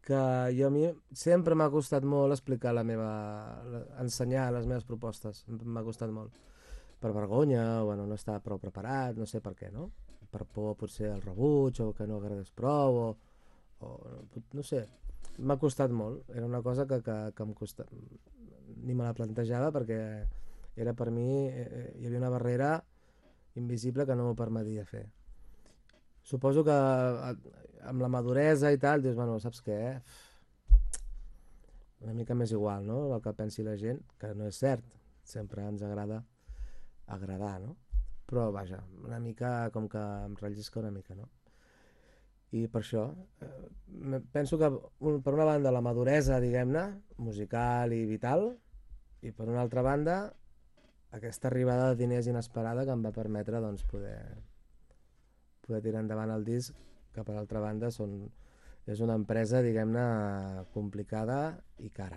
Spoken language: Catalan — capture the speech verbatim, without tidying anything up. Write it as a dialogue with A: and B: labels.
A: que jo a mi sempre m'ha costat molt explicar la meva... ensenyar les meves propostes, m'ha costat molt. Per vergonya, o bueno, no estava prou preparat, no sé per què, no? Per por potser al rebuig, o que no agradés prou, o, o no sé, m'ha costat molt. Era una cosa que, que, que em costava, ni me la plantejava perquè era per mi, eh, hi havia una barrera invisible que no m'ho permetia fer. Suposo que amb la maduresa i tal, dius, bueno, saps què? Una mica més igual, no? El que pensi la gent, que no és cert. Sempre ens agrada agradar, no? Però, vaja, una mica com que em rellisca una mica, no? I per això, eh, penso que un, per una banda la maduresa, diguem-ne, musical i vital, i per una altra banda aquesta arribada de diners inesperada que em va permetre doncs, poder, poder tirar endavant el disc, que per altra banda són, és una empresa, diguem-ne, complicada i cara.